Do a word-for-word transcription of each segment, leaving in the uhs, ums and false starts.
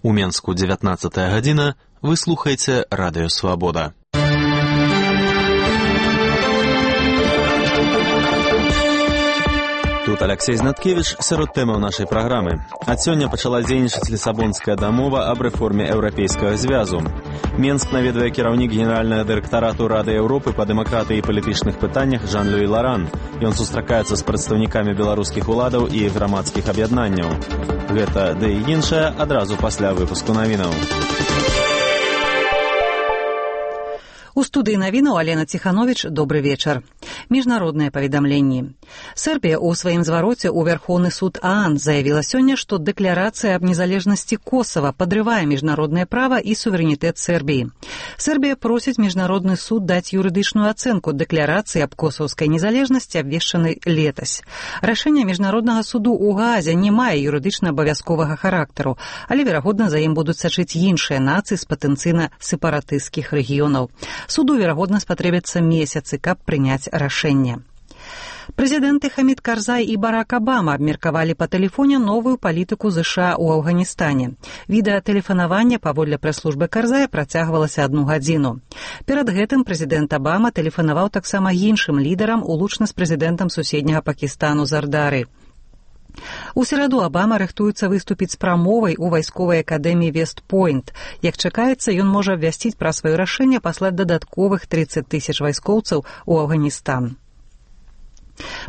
У Менску дзевятнаццатая гадзіна, вы слухаеце Радыё Свабода. Тут Алексей Знаткевич сярод тэмаў нашай праграмы. Ад сёння пачала дзейнічаць Лісабонская дамова аб рэформе Еўрапейскага звязу. Менск наведвае кіраўнік генеральнага дырэктарату Рады Еўропы па дэмакратыі і палітычных пытаннях Жан-Луі Ларан. Ён сустракаецца з прадстаўнікамі беларускіх уладаў і грамадскіх аб'яднанняў. Гэта ды і іншае адразу пасля выпуску навінаў. У студыі навінаў Алена Ціхановіч, добры вечар. Міжнародныя паведамленні. Сербія ў сваім звароце ў Вярхоўны суд ААН заявіла сёння, што дэкларацыя аб незалежнасці Косава падрывае міжнароднае права і суверэнітэт Сербіі. Сербія просіць міжнародны суд даць юрыдычную ацэнку дэкларацыі аб косаўскай незалежнасці, абвешчанай летась. Рашэнне міжнароднага суду ў Гаазе не мае юрыдычна абавязковага характару, але, верагодна, за ім будуць сачыць іншыя нацыі з патэнцыйна сепаратысцкіх рэгіёнаў. Суду, верагодна, спатрэбяцца месяцы, каб прыняць рашэнне. Прэзідэнты Хамід Карзай і Барак Абама абмеркавалі па тэлефоне новую палітыку ЗША ў Афганістане. Відэатэлефанаванне паводле прэс-службы Карзая працягвалася адну гадзіну. Перад гэтым прэзідэнт Абама тэлефанаваў таксама іншым лідарам, улучна з прэзідэнтам суседняга Пакістану Зардары. У сераду Абама рыхтуецца выступіць з прамовай у вайсковай акадэміі Вест-Пойнт. Як чакаецца, ён можа абвясціць пра сваё рашэнне паслаць дадатковых трыццаць тысяч вайскоўцаў у Афганістан.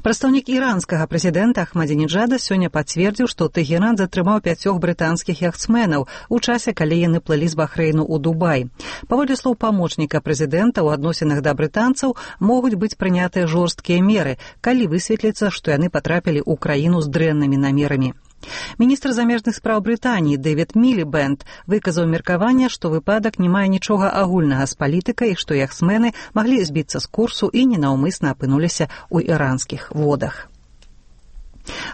Прадстаўнік іранскага прэзідэнта Ахмадзінеджада сёння пацвердзіў, што Тэгеран затрымаў пяцёх брытанскіх яхтсменаў у часе, калі яны плылі з Бахрэйну ў Дубай. Паводле слоў памочніка прэзідэнта, у адносінах да брытанцаў могуць быць прынятыя жорсткія меры, калі высветліцца, што яны патрапілі ў краіну з дрэннымі намерамі. Міністр замежных спраў Брытаніі Дэвід Мілібэнд выказаў меркаванне, што выпадак не мае нічога агульнага з палітыкай, што яхтсмены маглі збіцца з курсу і ненаўмысна апынуліся ў іранскіх водах.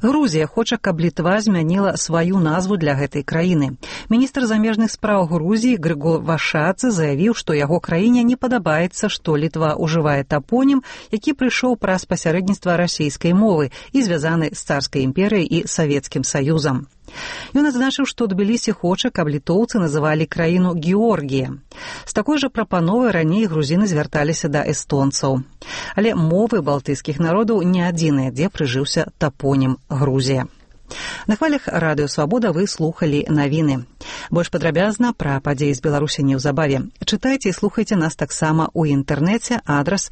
Грузія хоча, каб Літва змяніла сваю назву для гэтай краіны. Міністр замежных спраў Грузіі Грыгор Вашадзе заявіў, што яго краіне не падабаецца, што Літва ўжывае тапонім, які прыйшоў праз пасярэдніцтва расійскай мовы і звязаны з царскай імперыяй і Савецкім Саюзам. Ён адзначыў, што Тбілісі хоча, каб літоўцы называлі краіну Георгія. З такой жа прапановай раней грузіны звярталіся да эстонцаў. Але мовы балтыйскіх народаў не адзіныя, дзе прыжыўся тапонім Грузія. На хвалях Радыё Свабода вы слухалі навіны. Больш падрабязна пра падзеі з Беларусі неўзабаве. Чытайце і слухайце нас таксама ў інтэрнэце, адрас